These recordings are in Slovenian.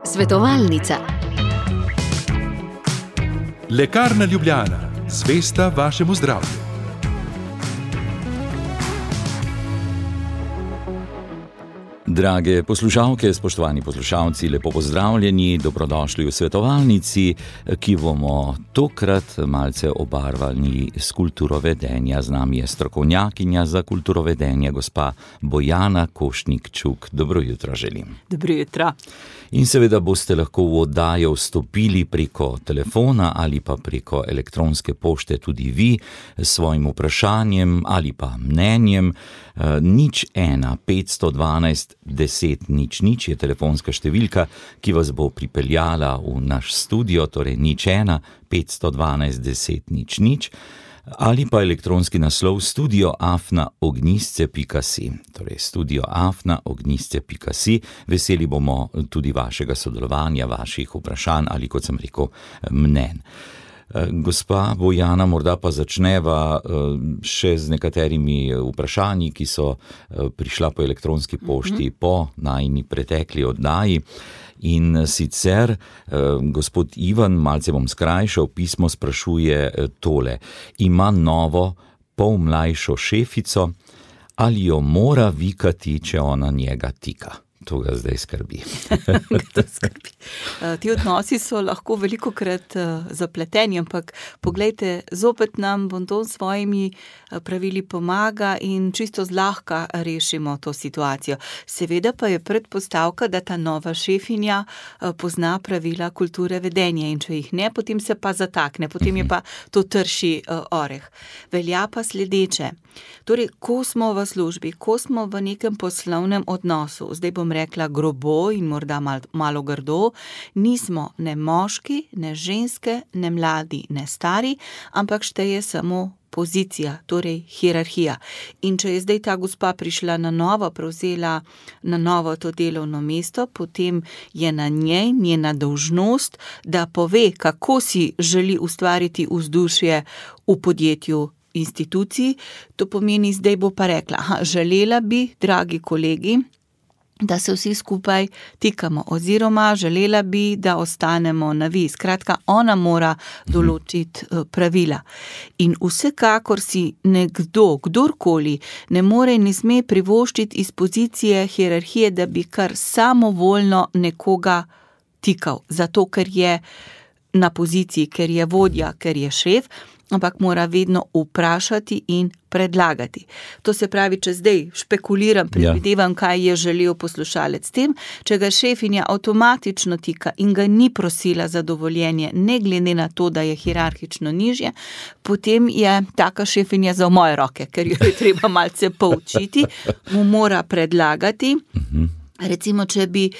Svetovalnica. Lekarna Ljubljana, zvesta vašemu zdravju. Drage poslušalke, spoštovani poslušalci, lepo pozdravljeni, dobrodošli v svetovalnici, ki bomo tokrat malce obarvani s kulturovedenja. Z nami je strokovnjakinja za kulturovedenje, gospa Bojana Košnik-Čuk. Dobro jutro želim. Dobro jutro. In seveda boste lahko v oddajo vstopili preko telefona ali pa preko elektronske pošte tudi vi s svojim vprašanjem ali pa mnenjem. 01 512 10 00 je telefonska številka, ki vas bo pripeljala v naš studio, torej 01 512 10 00, ali pa elektronski naslov studio@ognjisce.si, torej studio@ognjisce.si. Veseli bomo tudi vašega sodelovanja, vaših vprašanj ali, kot sem rekel, mnenj. Gospa Bojana, morda pa začneva še z nekaterimi vprašanji, ki so prišla po elektronski pošti po najini pretekli oddaji. In sicer gospod Ivan, malce bom skrajšal, pismo sprašuje tole. Ima novo, pol mlajšo šefico, ali jo mora vikati, če ona njega tika? To ga zdaj skrbi. Ti odnosi so lahko velikokrat zapleteni, ampak poglejte, zopet nam bonton s svojimi pravili pomaga in čisto zlahka rešimo to situacijo. Seveda pa je predpostavka, da ta nova šefinja pozna pravila kulture vedenja in če jih ne, potem se pa zatakne, potem je pa to trši oreh. Velja pa sledeče. Torej, ko smo v službi, ko smo v nekem poslovnem odnosu, zdaj bom rekla grobo in morda malo grdo, nismo ne moški, ne ženske, ne mladi, ne stari, ampak šteje samo pozicija, torej hierarhija. In če je zdaj ta gospa prišla na novo, prevzela na novo to delovno mesto, potem je na njej njena dolžnost, da pove, kako si želi ustvariti vzdušje v podjetju, instituciji. To pomeni, zdaj bo pa rekla, želela bi, dragi kolegi, da se vsi skupaj tikamo, oziroma želela bi, da ostanemo na vi. Skratka, ona mora določiti pravila. In vsekakor si nekdo, kdorkoli, ne more in ne sme privoščiti iz pozicije hierarhije, da bi kar samovoljno nekoga tikal, zato ker je na poziciji, ker je vodja, ker je šef, ampak mora vedno vprašati in predlagati. To se pravi, če zdaj špekuliram, predvidevam, kaj je želel poslušalec s tem, če ga šefinja avtomatično tika in ga ni prosila za dovoljenje, ne glede na to, da je hierarhično nižje, potem je taka šefinja za moje roke, ker jo je treba malce poučiti, mu mora predlagati. Recimo, če bi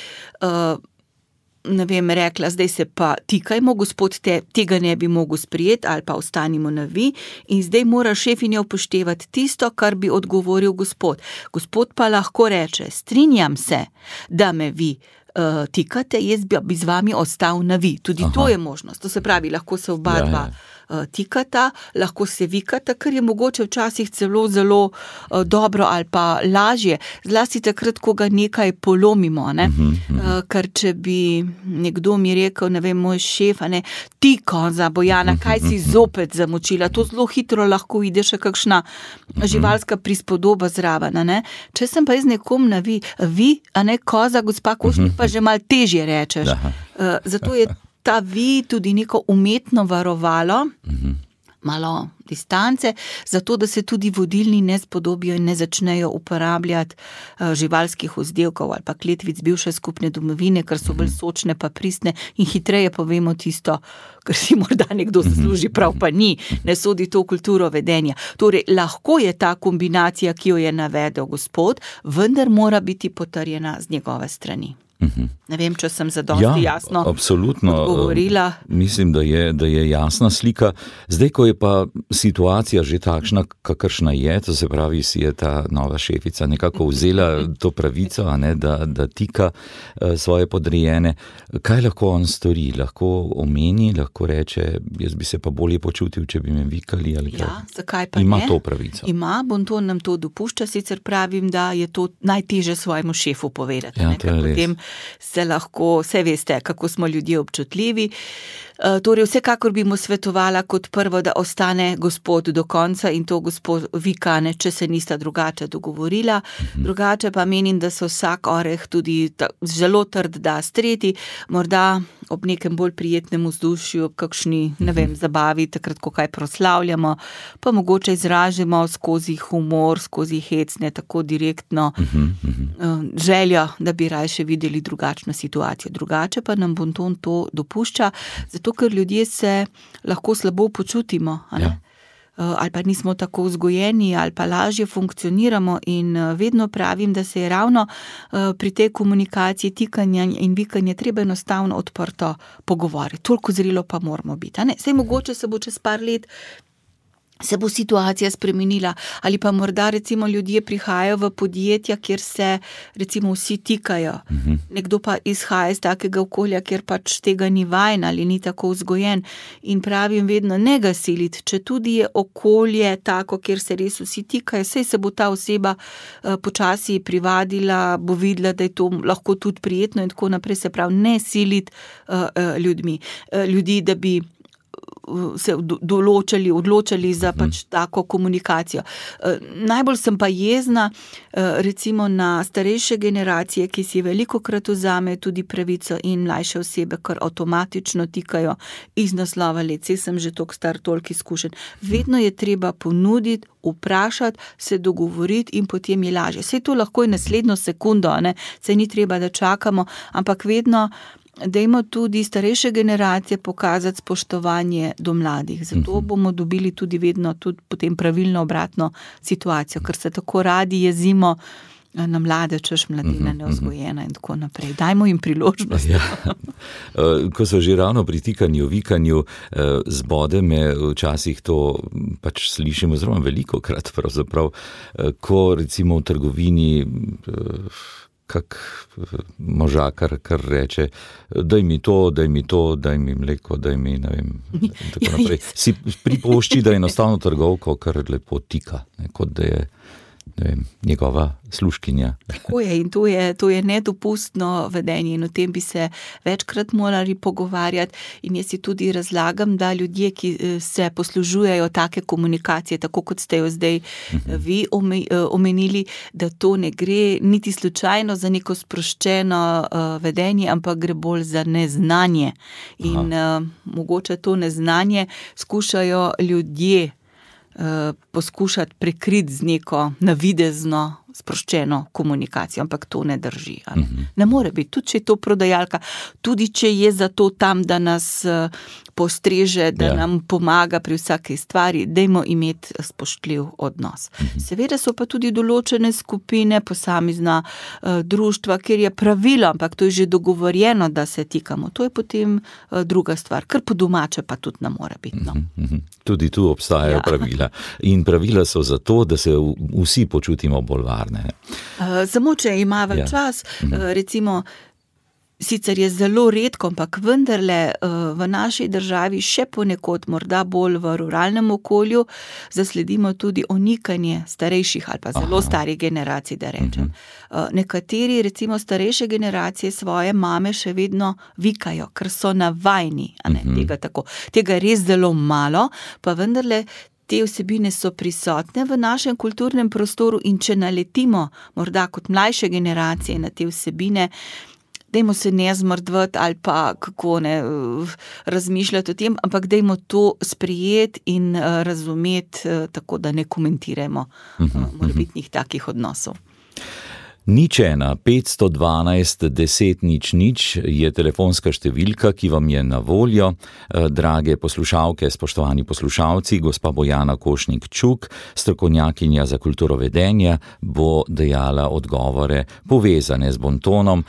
rekla, zdaj se pa tikajmo, gospod, tega ne bi mogel sprijeti, ali pa ostanimo na vi, in zdaj mora šefinja upoštevati tisto, kar bi odgovoril gospod. Gospod pa lahko reče, strinjam se, da me vi tikate, jaz bi z vami ostal na vi. Tudi to je možnost. To se pravi, lahko se oba dva tikata, lahko se vikata, kar je mogoče včasih celo zelo dobro ali pa lažje, zlasti takrat, ko ga nekaj polomimo, ne? Ker če bi nekdo mi rekel, moj šef, tiko za Bojana, kaj si zopet zamočila, to zelo hitro lahko ide še kakšna živalska prispodoba zraven, ne? Če sem pa jaz nekom na vi, koza, gospa Košnik, pa že malo težje rečeš. Zato je ta vi tudi neko umetno varovalo, malo distance, zato da se tudi vodilni ne spodobijo in ne začnejo uporabljati živalskih vzdevkov ali pa kletvic bivše skupne domovine, ker so bolj sočne pa pristne in hitreje povemo tisto, kar si morda nekdo zasluži, prav pa ni, ne sodi to v kulturo vedenja. Torej, lahko je ta kombinacija, ki jo je navedel gospod, vendar mora biti potrjena z njegove strani. Ne vem, če sem zadosti jasno odgovorila. Mislim, da je jasna slika. Zdaj, ko je pa situacija že takšna, kakršna je, to se pravi, si je ta nova šefica nekako vzela to pravico, da tika svoje podrejene. Kaj lahko on stori? Lahko omeni, lahko reče, jaz bi se pa bolje počutil, če bi me vikali ali kaj? Ja, zakaj pa ima ne? To pravico. Ima, Bonton nam to dopušča, sicer pravim, da je to najtežje svojemu šefu povedati. Ja, to je res. Potem se lahko, vse veste, kako smo ljudje občutljivi. Torej, vsekakor bi mu svetovala kot prvo, da ostane gospod do konca in to gospod vikane, če se nista drugače dogovorila. Drugače pa menim, da se vsak oreh tudi zelo trd da streti, morda ob nekem bolj prijetnem vzdušju, kakšni, ne vem, zabavi, takrat, ko kaj proslavljamo, pa mogoče izražimo skozi humor, skozi hecne, tako direktno željo, da bi rajše videli drugačno situacijo. Drugače pa nam bonton to dopušča, zato ker ljudje se lahko slabo počutimo, ali pa nismo tako vzgojeni, ali pa lažje funkcioniramo in vedno pravim, da se je ravno pri tej komunikaciji, tikanja in vikanja treba enostavno odprto pogovoriti. Toliko zrelo pa moramo biti. Saj mogoče se bo čez par let se bo situacija spremenila, ali pa morda recimo ljudje prihajajo v podjetja, kjer se recimo vsi tikajo. Nekdo pa izhaja iz takega okolja, kjer pač tega ni vajen ali ni tako vzgojen. In pravim vedno, ne ga siliti, če tudi je okolje tako, kjer se res vsi tikajo, saj se bo ta oseba počasi privadila, bo videla, da je to lahko tudi prijetno in tako naprej, se pravi, ne siliti ljudi, da bi se odločali za pač tako komunikacijo. Najbolj sem pa jezna recimo na starejše generacije, ki si velikokrat vzame tudi pravico in mlajše osebe, kar avtomatično tikajo iz naslova let. Saj sem že toliko star, toliko izkušen. Vedno je treba ponuditi, vprašati, se dogovoriti in potem je lažje. Saj to lahko je naslednjo sekundo, saj ni treba, da čakamo, ampak vedno dajmo tudi starejše generacije pokazati spoštovanje do mladih. Zato bomo dobili tudi vedno tudi potem pravilno obratno situacijo, ker se tako radi jezimo na mlade, češ mladina neozgojena in tako naprej. Dajmo jim priložnost. Ko so že ravno pri tikanju, vikanju, zbode me včasih to pač slišimo zelo velikokrat pravzaprav, ko recimo v trgovini kak možakar, kar reče, daj mi to, daj mi mleko, daj mi, ne vem, tako naprej. Si pripošči, da je enostavno trgovko, kar lepo tika, kot da je, ne vem, njegova služkinja. Tako je in to je nedopustno vedenje in o tem bi se večkrat morali pogovarjati in jaz si tudi razlagam, da ljudje, ki se poslužujejo take komunikacije, tako kot ste jo zdaj vi omenili, da to ne gre niti slučajno za neko sproščeno vedenje, ampak gre bolj za neznanje. In mogoče to neznanje skušajo ljudje poskušati prekriti z neko navidezno sproščeno komunikacijo, ampak to ne drži. Ne more biti, tudi če je to prodajalka, tudi če je zato tam, da nas postreže, da nam pomaga pri vsaki stvari, dajmo imeti spoštljiv odnos. Seveda so pa tudi določene skupine, posamezna društva, kjer je pravilo, ampak to je že dogovorjeno, da se tikamo. To je potem druga stvar, kar po domače pa tudi ne more biti. Tudi tu obstajajo pravila. In pravila so zato, da se vsi počutimo bolj varne. Samo, če imamo čas, recimo, sicer je zelo redko, ampak vendarle v naši državi še ponekod, morda bolj v ruralnem okolju, zasledimo tudi onikanje starejših ali pa zelo starih generacij, da rečem. Nekateri, recimo starejše generacije, svoje mame še vedno vikajo, ker so navajni, tega je res zelo malo, pa vendarle te vsebine so prisotne v našem kulturnem prostoru in če naletimo morda kot mlajše generacije na te vsebine, dajmo se ne zmrdvati ali pa kako ne razmišljati o tem, ampak dajmo to sprejeti in razumeti, tako da ne komentiramo morebitnih takih odnosov. 01 512 10 00 je telefonska številka, ki vam je na voljo. Drage poslušalke, spoštovani poslušalci, gospa Bojana Košnik Čuk, strokovnjakinja za kulturo vedenja, bo dejala odgovore povezane z bontonom.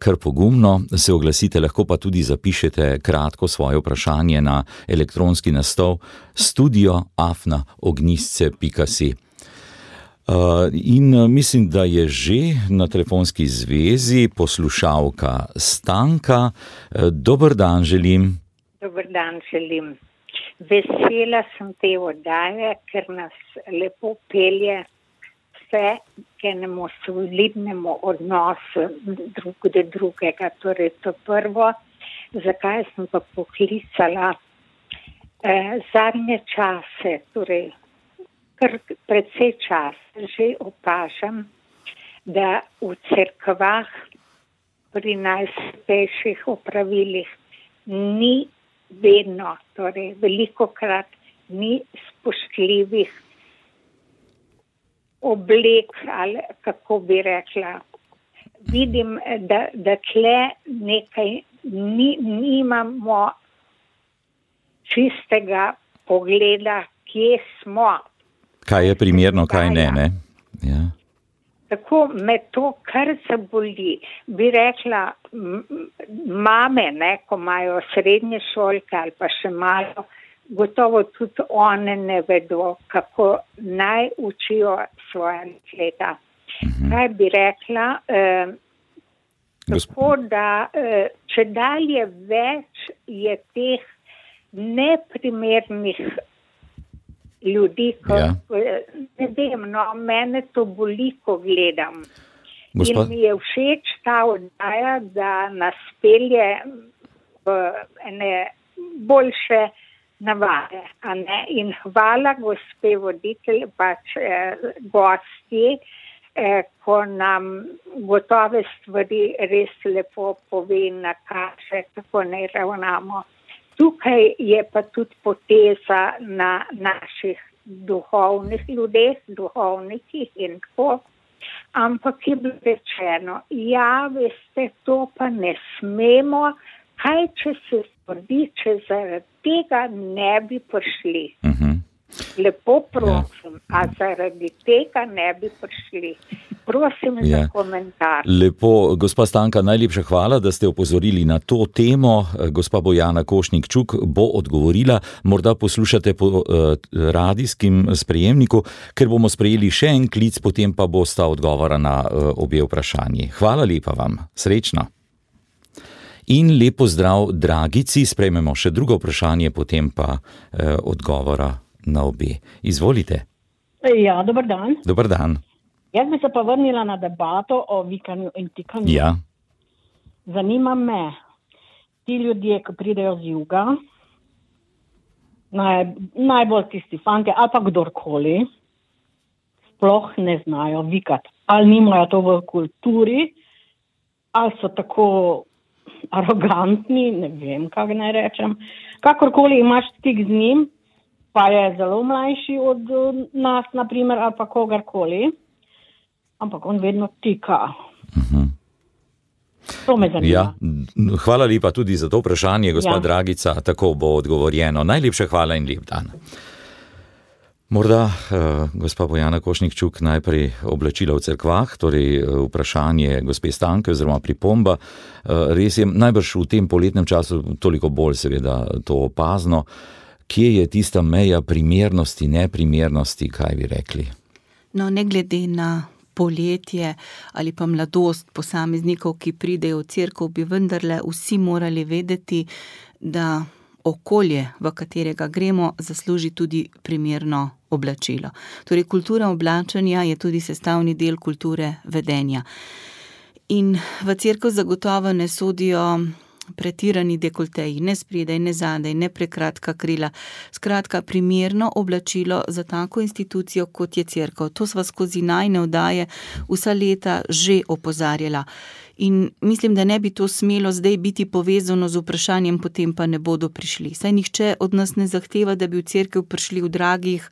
Kar pogumno se oglasite, lahko pa tudi zapišete kratko svoje vprašanje na elektronski naslov studio@ognjisce.si. In mislim, da je že na telefonski zvezi poslušalka Stanka. Dober dan želim. Dober dan želim. Vesela sem te oddaje, ker nas lepo pelje se k enemu solidnemu odnosu drug do drugega. Torej, to prvo, zakaj sem pa poklicala zadnje čase, torej kar precej čas že opažam, da v cerkvah pri najsvetejših opravilih ni vedno, torej velikokrat ni spoštljivih oblek, ali kako bi rekla. Vidim, da tle nekaj nimamo čistega pogleda, kje smo. Kaj je primerno, kaj ne, ne? Ja. Tako me to kar zaboli. Bi rekla, mame, ne, ko imajo srednje šolke ali pa še malo, gotovo tudi one ne vedo, kako naj učijo svoja dekleta. Kaj bi rekla, tako da če dalje več je teh neprimernih ljudi, ne vem, no, mene to boli, ko gledam. In mi je všeč ta oddaja, da nas pelje v ene boljše navade, a ne? In hvala gospe voditelj, pač gosti, ko nam gotove stvari res lepo pove in nakaže, kako ne ravnamo. Tukaj je pa tudi poteza na naših duhovnih ljudeh, duhovnikih in tako, ampak je bilo rečeno, ja, veste, to pa ne smemo, kaj če se zgodi, če zaradi tega ne bi prišli. Lepo prosim, a zaradi tega ne bi prišli. Prosim za komentar. Lepo, gospa Stanka, najlepša hvala, da ste opozorili na to temo. Gospa Bojana Košnik-Čuk bo odgovorila, morda poslušate po radijskim sprejemniku, ker bomo sprejeli še en klic, potem pa bo sta odgovora na obe vprašanji. Hvala lepa vam, srečno. In lepo zdrav, Dragici, sprejmemo še drugo vprašanje, potem pa odgovora na obe. Izvolite. Ja, dober dan. Dober dan. Jaz bi se pa vrnila na debato o vikanju in tikanju. Ja. Zanima me, ti ljudje, ki pridejo z juga, najbolj tisti fanti ali pa kdorkoli, sploh ne znajo vikati. Ali nimajo to v kulturi, ali so tako arogantni, ne vem, kako naj rečem. Kakorkoli imaš stik z njim, pa je zelo mlajši od nas, naprimer, ali pa kogarkoli, ampak on vedno tika. To me zanima. Ja, hvala lepa tudi za to vprašanje, gospa Dragica, tako bo odgovorjeno. Najlepša hvala in lep dan. Morda, gospa Bojana Košnik-Čuk, najprej oblačila v cerkvah, torej vprašanje gospe Stanke oziroma pripomba. Res je, najbrž v tem poletnem času toliko bolj seveda to opazno. Kje je tista meja primernosti, neprimernosti, kaj bi rekli? No, ne glede na poletje ali pa mladost posameznikov, ki pridejo v cerkev, bi vendarle vsi morali vedeti, da okolje, v katerega gremo, zasluži tudi primerno oblačilo. Torej, kultura oblačenja je tudi sestavni del kulture vedenja. In v cerkev zagotovo ne sodijo pretirani dekolteji, ne spredaj, ne zadaj, ne prekratka krila. Skratka, primerno oblačilo za tako institucijo, kot je cerkev. To sva skozi najine oddaje vsa leta že opozarjala. In mislim, da ne bi to smelo zdaj biti povezano z vprašanjem, potem pa ne bodo prišli. Saj nihče od nas ne zahteva, da bi v cerkev prišli v dragih,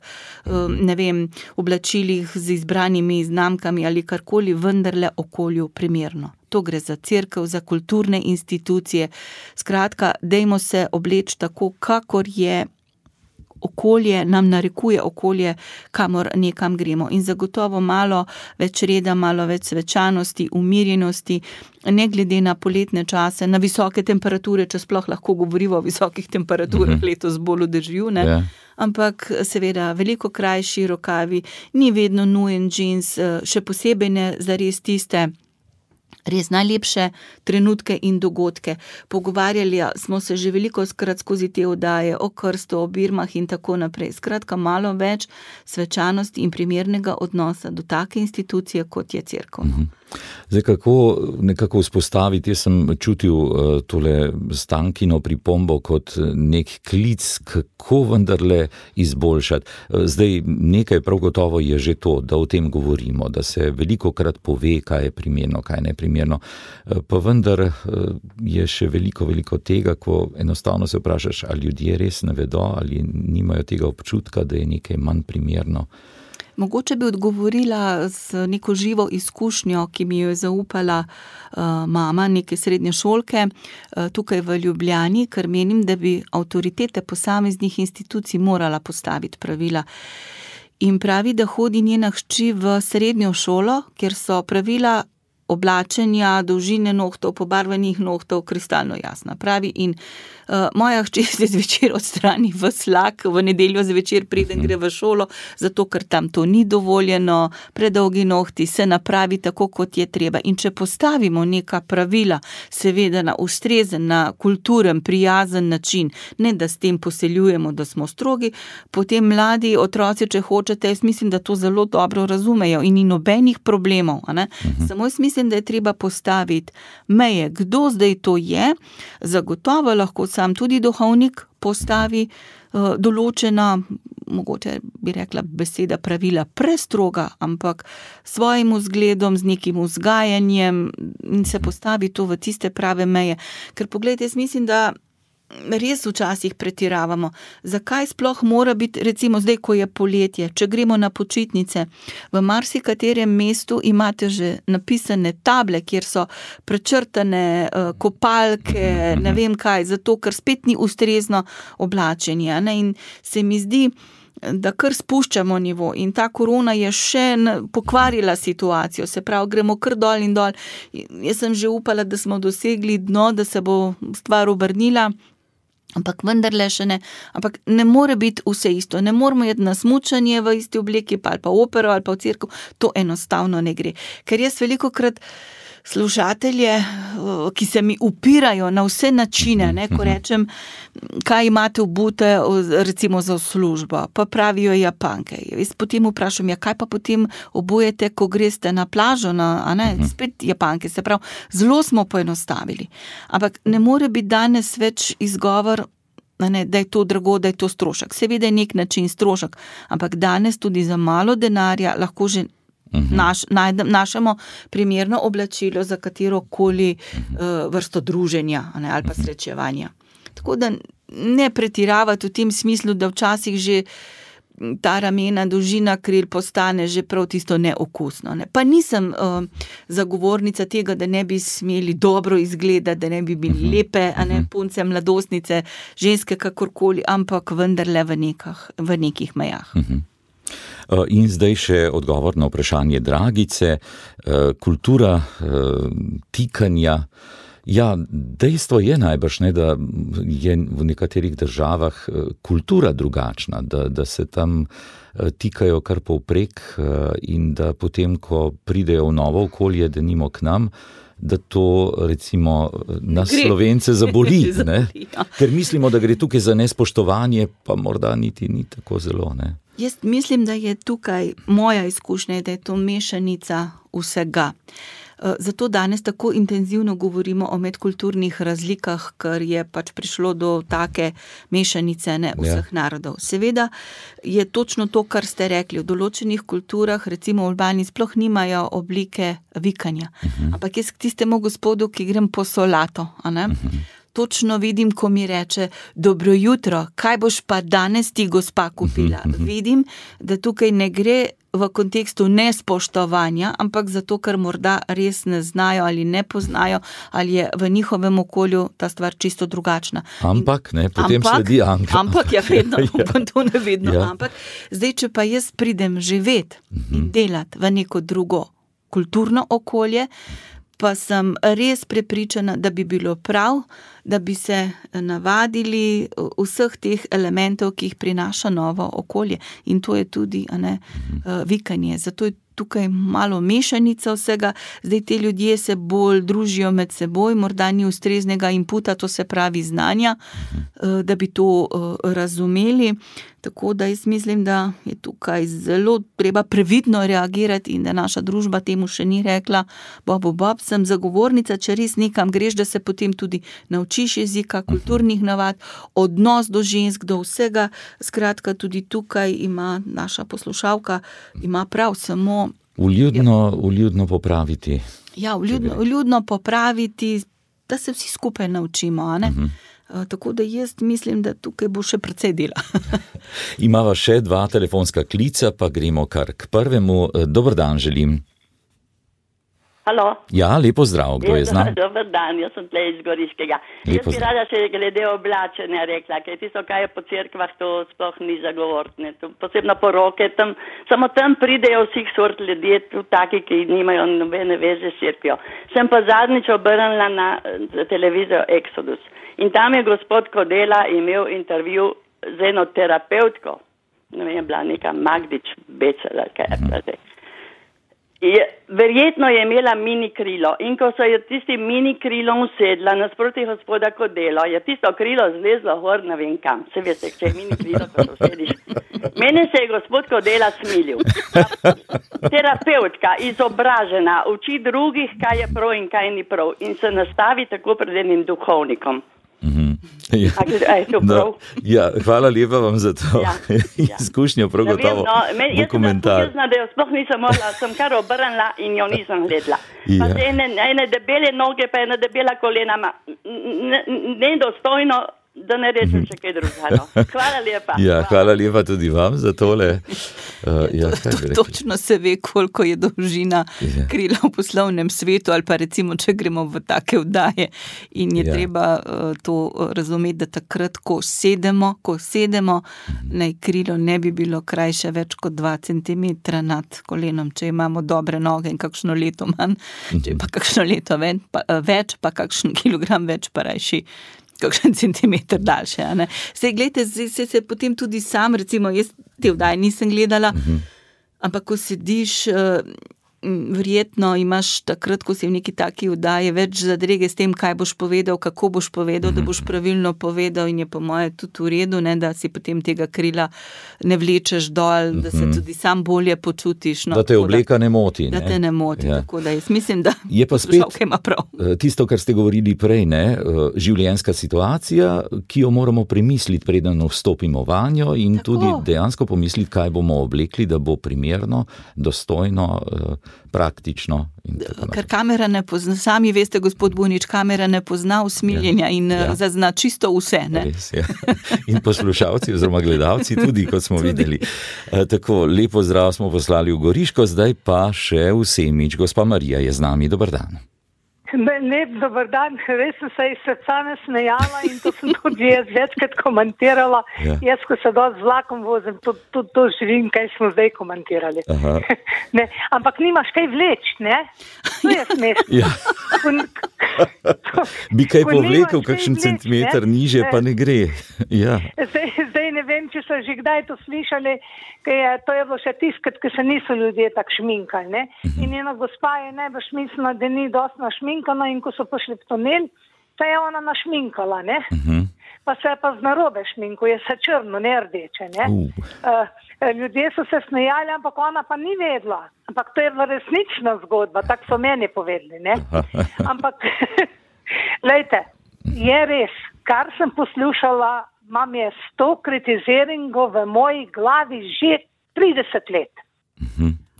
ne vem, oblačilih z izbranimi znamkami ali karkoli, vendarle okolju primerno. To gre za cerkev, za kulturne institucije. Skratka, dajmo se obleči tako, kakor je okolje, nam narekuje okolje, kamor nekam gremo. In zagotovo malo več reda, malo več svečanosti, umirjenosti, ne glede na poletne čase, na visoke temperature, če sploh lahko govorimo o visokih temperaturah, letos bolj v dežju, ne? Ampak seveda veliko krajši rokavi, ni vedno nujen džins, še posebej ne zares tiste res najlepše trenutke in dogodke. Pogovarjali smo se že velikokrat skozi te oddaje o krstu, o birmah in tako naprej. Skratka, malo več svečanosti in primernega odnosa do take institucije, kot je cerkev. Zdaj, kako nekako vzpostaviti, jaz sem čutil tole Stankino pripombo kot nek klic, kako vendarle izboljšati. Zdaj, nekaj prav gotovo je že to, da o tem govorimo, da se velikokrat pove, kaj je primerno, kaj ne primerno, pa vendar je še veliko tega, ko enostavno se vprašaš, ali ljudje res ne vedo, ali nimajo tega občutka, da je nekaj manj primerno. Mogoče bi odgovorila z neko živo izkušnjo, ki mi jo je zaupala mama neke srednje šolke tukaj v Ljubljani, ker menim, da bi avtoritete posameznih institucij morala postaviti pravila. In pravi, da hodi njena hči v srednjo šolo, kjer so pravila oblačenja, dolžine nohtov, pobarvanih nohtov, kristalno jasna. Pravi, in moja hči se zvečer odstrani v slak, v nedeljo zvečer preden gre v šolo, zato ker tam to ni dovoljeno, predolgi nohti, se napravi tako, kot je treba. In če postavimo neka pravila, seveda na ustrezen, na kulturen, prijazen način, ne da s tem poseljujemo, da smo strogi, potem mladi otroci, če hočete, jaz mislim, da to zelo dobro razumejo in ni nobenih problemov. Samo jaz mislim, da je treba postaviti meje, kdo zdaj to je, zagotovo lahko sam tudi duhovnik postavi določena, mogoče bi rekla beseda pravila prestroga, ampak svojim vzgledom, z nekim vzgajanjem in se postavi to v tiste prave meje. Ker poglejte, jaz mislim, da res včasih pretiravamo. Zakaj sploh mora biti, recimo zdaj, ko je poletje, če gremo na počitnice, v marsikaterem mestu imate že napisane table, kjer so prečrtane kopalke, ne vem kaj, zato ker spet ni ustrezno oblačenje. In se mi zdi, da kar spuščamo nivo in ta korona je še pokvarila situacijo, se pravi, gremo kar dol in dol. Jaz sem že upala, da smo dosegli dno, da se bo stvar obrnila, ampak vendarle še ne. Ampak ne more biti vse isto, ne moramo jeti na smučanje v isti obleki, ali pa opero, ali pa v cerkev, to enostavno ne gre. Ker jaz velikokrat slušatelje, ki se mi upirajo na vse načine, ko rečem, kaj imate obute, recimo za službo, pa pravijo Japanke. Jaz potem vprašam, kaj pa potem obujete, ko greste na plažo, spet Japanke, se pravi, zelo smo poenostavili. Ampak ne more biti danes več izgovor, da je to drago, da je to strošek. Seveda je nek način strošek, ampak danes tudi za malo denarja lahko že našemo primerno oblačilo za katerokoli vrsto druženja ali pa srečevanja. Tako da ne pretiravati v tem smislu, da včasih že ta ramena, dolžina kril postane že prav tisto neokusno. Pa nisem zagovornica tega, da ne bi smeli dobro izgledati, da ne bi bili lepe, punce, mladostnice, ženske kakorkoli, ampak vendarle v nekih mejah. In zdaj še odgovor na vprašanje Dragice, kultura tikanja. Ja, dejstvo je najbrž, da je v nekaterih državah kultura drugačna, da se tam tikajo kar povprek in da potem, ko pridejo v novo okolje, denimo k nam, da to recimo nas Slovence zaboli, ker mislimo, da gre tukaj za nespoštovanje, pa morda niti ni tako zelo. Jaz mislim, da je tukaj moja izkušnja, da je to mešanica vsega. Zato danes tako intenzivno govorimo o medkulturnih razlikah, ker je pač prišlo do take mešanice vseh narodov. Seveda je točno to, kar ste rekli, v določenih kulturah, recimo v Albaniji, sploh nimajo oblike vikanja. Ampak jaz k tistemu gospodu, ki grem po solato, točno vidim, ko mi reče, dobro jutro, kaj boš pa danes ti gospa kupila? Vidim, da tukaj ne gre v kontekstu nespoštovanja, ampak zato, ker morda res ne znajo ali ne poznajo, ali je v njihovem okolju ta stvar čisto drugačna. Ampak, potem sledi ampak. Ampak, vedno, to ne vedno, ampak. Zdaj, če pa jaz pridem živeti in delati v neko drugo kulturno okolje, pa sem res prepričana, da bi bilo prav, da bi se navadili vseh teh elementov, ki jih prinaša novo okolje. In to je tudi vikanje. Zato je tukaj malo mešanica vsega, zdaj te ljudje se bolj družijo med seboj, morda ni ustreznega inputa, to se pravi znanja, da bi to razumeli. Tako da jaz mislim, da je tukaj zelo treba previdno reagirati in da naša družba temu še ni rekla, bob, sem zagovornica, če res nekam greš, da se potem tudi naučiš jezika, kulturnih navad, odnos do žensk, do vsega. Skratka, tudi tukaj ima naša poslušalka, ima prav samo... Vljudno popraviti. Ja, vljudno popraviti, da se vsi skupaj naučimo, a ne? Tako da jaz mislim, da tukaj bo še precej dela. Imava še 2 telefonska klica, pa gremo kar k prvemu. Dober dan želim. Halo? Ja, lepo zdrav, kdo je z nami? Dober dan, jaz sem tle iz Goriškega. Jaz bi rada še glede oblačenja rekla, ker tisto, kaj je po cerkvah, to sploh ni zagovorne. Posebno poroke, samo tam pridejo vseh sort ljudje, tudi taki, ki nimajo nobene veze s cerkvijo. Sem pa zadnjič obrnila na televizijo Exodus. In tam je gospod Kodela imel intervju z eno terapeutko, ne vem, bila neka Magdič Becela, kaj je zdaj. Verjetno je imela mini krilo in ko so je tisti mini krilom usedla nasproti gospoda Kodelo, je tisto krilo zlezlo gor, ne vem kam. Se veste, če je mini krilo, ko se usediš. Mene se je gospod Kodela smilil. Terapeutka, izobražena, uči drugih, kaj je prav in kaj ni prav in se nastavi tako pred enim duhovnikom. Ja, hvala lepa vam za to izkušnjo, prav gotovo bo komentar. Jaz sem da jo sploh nisem mogla, sem kar obrnila in jo nisem gledala. Pa se ene debele noge, pa ena debela kolena, nedostojno, da ne rečem še kaj drugega. Hvala lepa. Ja, hvala lepa tudi vam za tole. Točno se ve, koliko je dolžina krila v poslovnem svetu, ali pa recimo, če gremo v take vdaje. In je treba to razumeti, da takrat, ko sedemo, naj krilo ne bi bilo krajše več kot 2 centimetra nad kolenom, če imamo dobre noge in kakšno leto manj, če pa kakšno leto več, pa kakšen kilogram več, pa rajši kakšen centimeter daljše. Sej, gledajte, se potem tudi sam, recimo, jaz te vdaje nisem gledala, ampak ko sediš, verjetno imaš takrat, ko si v neki taki vdaji, več zadrege s tem, kaj boš povedal, kako boš povedal, da boš pravilno povedal in je po moje tudi v redu, ne, da si potem tega krila ne vlečeš dol, da se tudi sam bolje počutiš. Da te obleka ne moti. Da te ne moti, tako da jaz mislim, da je pa spet ima prav. Tisto, kar ste govorili prej, življenjska situacija, ki jo moramo premisliti, preden vstopimo vanjo in tudi dejansko pomisliti, kaj bomo oblekli, da bo primerno, dostojno, praktično. Ker kamera ne pozna, sami veste, gospod Bunič, kamera ne pozna usmiljenja in zazna čisto vse. Ne? Res, ja. In poslušalci oziroma gledalci tudi, kot smo videli. Tako, lepo zdrav smo poslali v Goriško, zdaj pa še v Semič. Gospa Marija je z nami, dober dan. Lep dober dan, res sem se iz srca nasmejala in to sem tudi jaz večkrat komentirala. Jaz, ko se dosti z vlakom vozim, to živim, kaj smo zdaj komentirali. Ne, ampak nimaš kaj vleč, ne? To je smešno. Bi kaj povlekel, kakšen centimeter niže, pa ne gre. Zdaj ne vem, če so že kdaj to slišali, to je bilo še tiskrat, ko se niso ljudje tak šminkali, ne? In ena gospa je najbolj mislila, da ni dosti našminkana in ko so prišli v tunel, se je ona našminkala, ne? Pa se je pa z narobe šminku, je se črno, ne rdeče, ne? Ljudje so se smejali, ampak ona pa ni vedela. Ampak to je resnična zgodba, tako so meni povedali, ne? Ampak, lejte, je res, kar sem poslušala, imam je 100 kritiziringov v moji glavi že 30 let.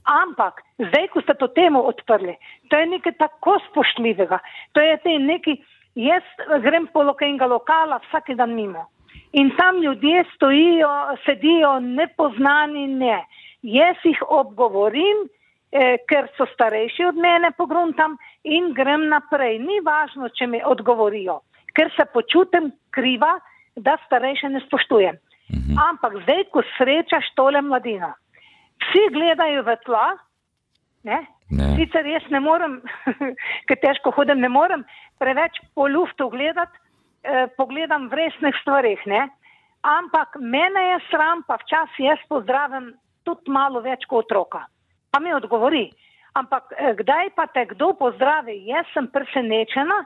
Ampak, zdaj, ko ste to temo odprli, to je nekaj tako spoštljivega. To je nekaj, jaz grem po enega lokala vsak dan mimo. In tam ljudje stojijo, sedijo nepoznani, ne. Jaz jih obgovorim, ker so starejši od mene, pogruntam in grem naprej. Ni važno, če mi odgovorijo, ker se počutim kriva, da starejše ne spoštujem. Ampak zdaj, ko srečaš tole mladino, vsi gledajo v tla, ne? Sicer jaz ne morem, ker težko hodim, ne morem preveč po luftu gledati, pogledam v resnih stvarih, ne? Ampak mene je sram, pa včasih jaz pozdravim tudi malo več kot otroka. pa mi odgovori. Ampak kdaj pa te kdo pozdravi? Jaz sem presenečena,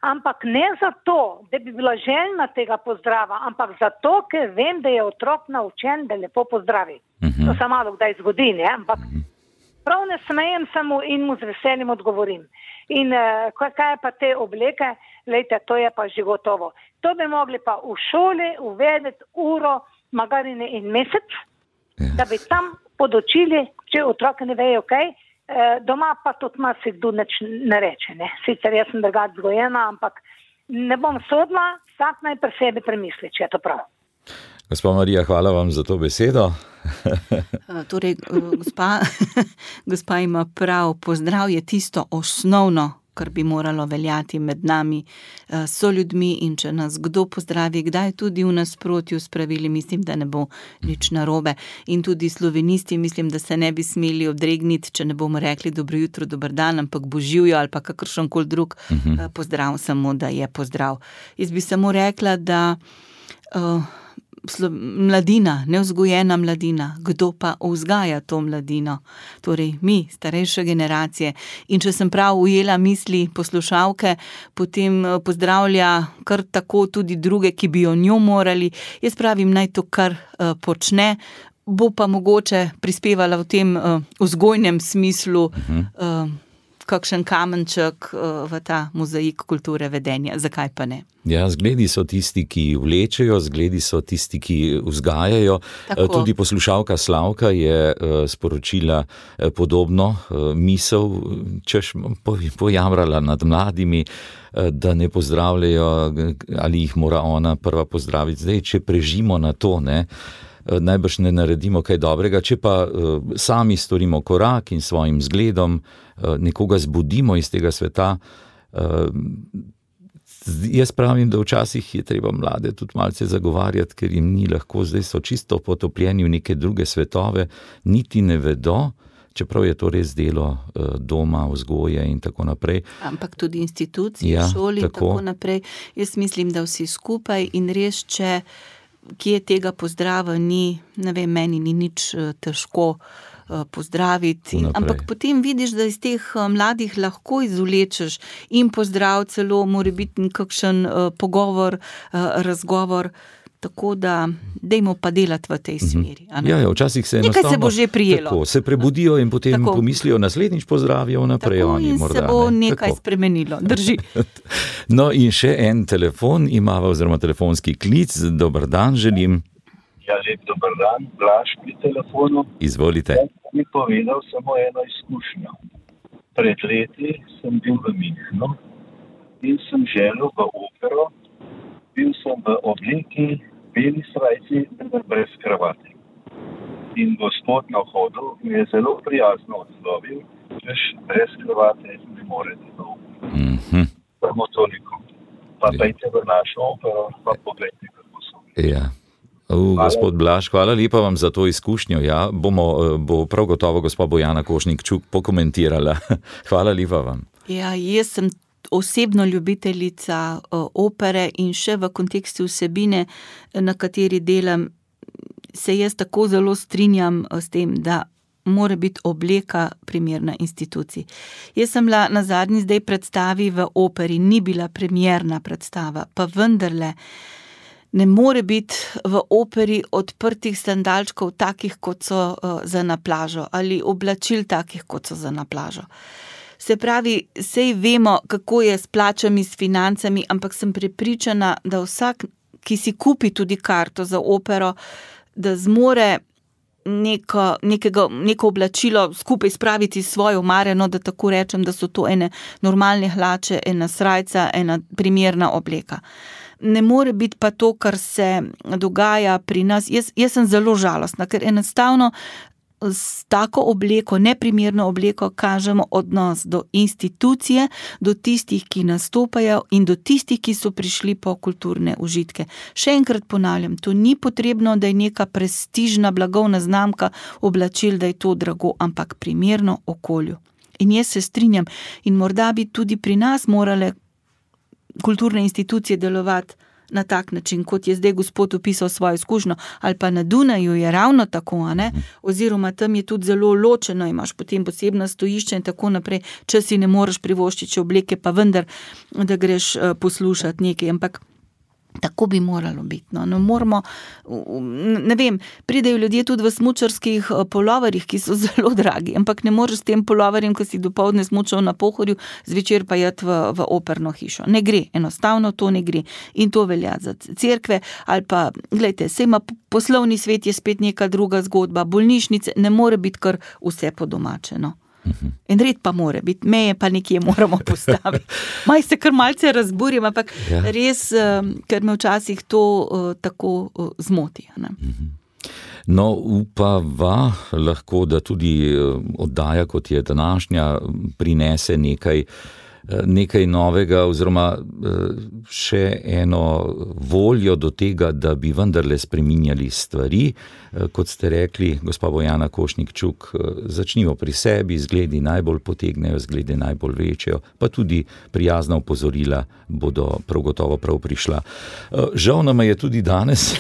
ampak ne zato, da bi bila željna tega pozdrava, ampak zato, ker vem, da je otrok naučen, da lepo pozdravi. To se malo kdaj zgodi, ne? Ampak prav ne smejem samo in mu z veseljem odgovorim. In kaj pa te obleke, lejte, to je pa že gotovo. To bi mogli pa v šoli uvedeti uro, magari ne en mesec, da bi tam podočili, če otroke ne vejo kaj, doma pa tudi marsikdo nič ne reče. Ne? Sicer jaz sem drugače vzgojena, ampak ne bom sodila, vsak naj pri sebi premisli, če je to prav. Gospa Marija, hvala vam za to besedo. Torej, gospa ima prav, pozdrav je tisto osnovno, kar bi moralo veljati med nami, so ljudmi, in če nas kdo pozdravi, kdaj tudi v nasprotju s pravili, mislim, da ne bo nič narobe. In tudi slovenisti, mislim, da se ne bi smeli odregniti, če ne bomo rekli dobro jutro, dober dan, ampak boživjo ali pa kakršenkoli drug pozdrav, samo da je pozdrav. Jaz bi samo rekla, da mladina, nevzgojena mladina, kdo pa vzgaja to mladino? Torej mi, starejše generacije. In če sem prav ujela misli poslušalke, potem pozdravlja kar tako tudi druge, ki bi jo njo morali. Jaz pravim, naj to kar počne, bo pa mogoče prispevala v tem vzgojnem smislu kakšen kamenček v ta mozaik kulture vedenja. Zakaj pa ne? Ja, zgledi so tisti, ki vlečejo, zgledi so tisti, ki vzgajajo. Tako. Tudi poslušalka Slavka je sporočila podobno misel, češ pojamrala nad mladimi, da ne pozdravljajo, ali jih mora ona prva pozdraviti. Zdaj, če prežimo na to, ne, najbrž ne naredimo kaj dobrega, če pa sami storimo korak in svojim zgledom nekoga zbudimo iz tega sveta. Jaz pravim, da včasih je treba mlade tudi malce zagovarjati, ker jim ni lahko, zdaj so čisto potopljeni v neke druge svetove, niti ne vedo, čeprav je to res delo doma, vzgoje in tako naprej. Ampak tudi institucije, šoli in tako naprej. Jaz mislim, da vsi skupaj in res, če kje tega pozdrava ni, ne vem, meni ni nič težko pozdraviti, ampak potem vidiš, da iz teh mladih lahko izvlečeš in pozdrav, celo mora biti nekakšen pogovor, razgovor, tako da dajmo pa delati v tej smeri. Ja, včasih se enostavno nekaj se bo že prijelo. Tako, se prebudijo in potem pomislijo, naslednjič pozdravijo naprej. Tako, in morda, se bo nekaj spremenilo. Drži. No in še en telefon imava, oziroma telefonski klic. Dober dan želim. Ja, lep dober dan, Blaž pri telefonu. Izvolite. Jaz bi povedal samo eno izkušnjo. Pred leti sem bil v Münchnu in sem želel v opero. Bil sem v obleki, beli srajci, brez kravate. In gospod na vhodu mi je zelo prijazno odslovil, češ brez kravate ne morete v opero. Samo toliko. Pa dajte v našo opero, pa pogledajte, kako so. Ja. Gospod Blaž, hvala lepa vam za to izkušnjo. Ja, bo prav gotovo gospa Bojana Košnik-Čuk pokomentirala. Hvala lepa vam. Ja, jaz sem osebno ljubiteljica opere in še v kontekstu vsebine, na kateri delam, se jaz tako zelo strinjam s tem, da mora biti obleka primerna instituciji. Jaz sem bila na zadnji zdaj predstavi v operi, ni bila primerna predstava, pa vendarle ne more biti v operi odprtih sandalčkov takih, kot so za na plažo, ali oblačil takih, kot so za na plažo. Se pravi, sej vemo, kako je s plačami, s financami, ampak sem prepričana, da vsak, ki si kupi tudi karto za opero, da zmore neko oblačilo skupaj spraviti svojo mareno, da tako rečem, da so to ene normalne hlače, ena srajca, ena primerna obleka. Ne more biti pa to, kar se dogaja pri nas. Jaz sem zelo žalostna, ker enostavno s tako obleko, neprimerno obleko, kažemo odnos do institucije, do tistih, ki nastopajo in do tistih, ki so prišli po kulturne užitke. Še enkrat ponavljam, to ni potrebno, da je neka prestižna blagovna znamka oblačil, da je to drago, ampak primerno okolju. In jaz se strinjam in morda bi tudi pri nas morale kulturne institucije delovati na tak način, kot je zdaj gospod opisal svojo izkušnjo, ali pa na Dunaju je ravno tako, oziroma tam je tudi zelo ločeno, imaš potem posebna stojišča in tako naprej, če si ne moreš privoščiti obleke, pa vendar, da greš poslušati nekaj, ampak tako bi moralo biti. No, moramo, ne vem, pridejo ljudje tudi v smučarskih polovarjih, ki so zelo dragi, ampak ne moreš s tem polovarjem, ko si dopoldne smučal na Pohorju, zvečer pa jeti v operno hišo. Ne gre, enostavno to ne gre. In to velja za cerkve, ali pa, gledajte, saj ima poslovni svet je spet neka druga zgodba, bolnišnice, ne more biti kar vse po domače, no. In red pa more biti, meje pa nekje moramo postaviti. Maj se kar malce razburim, ampak res, ker me včasih to tako zmoti. No, upava lahko, da tudi oddaja, kot je današnja, prinese nekaj novega oziroma še eno voljo do tega, da bi vendarle spreminjali stvari. Kot ste rekli, gospa Bojana Košnik-Čuk, začnimo pri sebi, zgledi najbolj potegnejo, zgledi najbolj večjo, pa tudi prijazna opozorila bodo prav gotovo prav prišla. Žal nam je tudi danes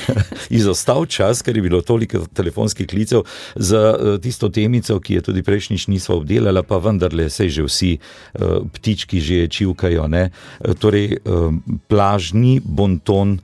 izostal čas, ker je bilo toliko telefonskih klicev za tisto temico, ki je tudi prejšnjič nisva obdelala, pa vendarle sej že vsi ptički že čivkajo, ne? Torej, plažni bonton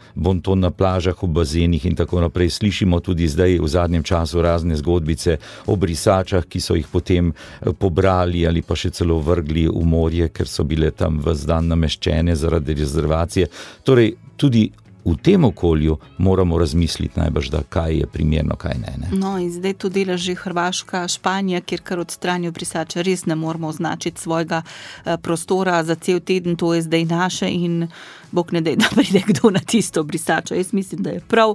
na plažah, v bazenih in tako naprej. Slišimo tudi zdaj v zadnjem času razne zgodbice o brisačah, ki so jih potem pobrali ali pa še celo vrgli v morje, ker so bile tam ves dan nameščene zaradi rezervacije. Torej, tudi v tem okolju moramo razmisliti najbrž, da kaj je primerno, kaj ne. No, in zdaj to dela že Hrvaška, Španija, kjer kar odstranijo brisače, res ne moramo označiti svojega prostora za cel teden, to je zdaj naše in Bog ne daj, da pride kdo na tisto brisačo. Jaz mislim, da je prav,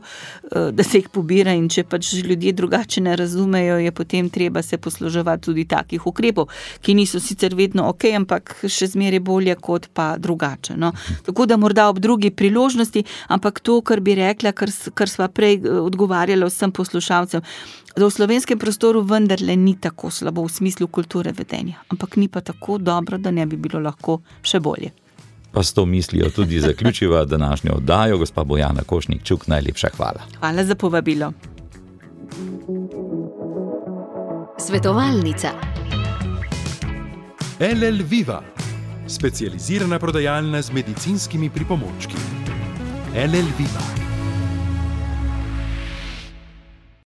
da se jih pobira in če pač ljudje drugače ne razumejo, je potem treba se posluževati tudi takih ukrepov, ki niso sicer vedno okej, ampak še zmeraj bolje kot pa drugače. No. Tako da morda ob drugi priložnosti, ampak to, kar bi rekla, kar sva prej odgovarjala vsem poslušalcem, da v slovenskem prostoru vendarle ni tako slabo v smislu kulture vedenja, ampak ni pa tako dobro, da ne bi bilo lahko še bolje. Pa s to mislijo tudi zaključiva današnjo oddajo. Gospa Bojana Košnik-Čuk, najlepša hvala. Hvala za povabilo. Svetovalnica. LL Viva, specializirana prodajalna z medicinskimi pripomočki. LL Viva.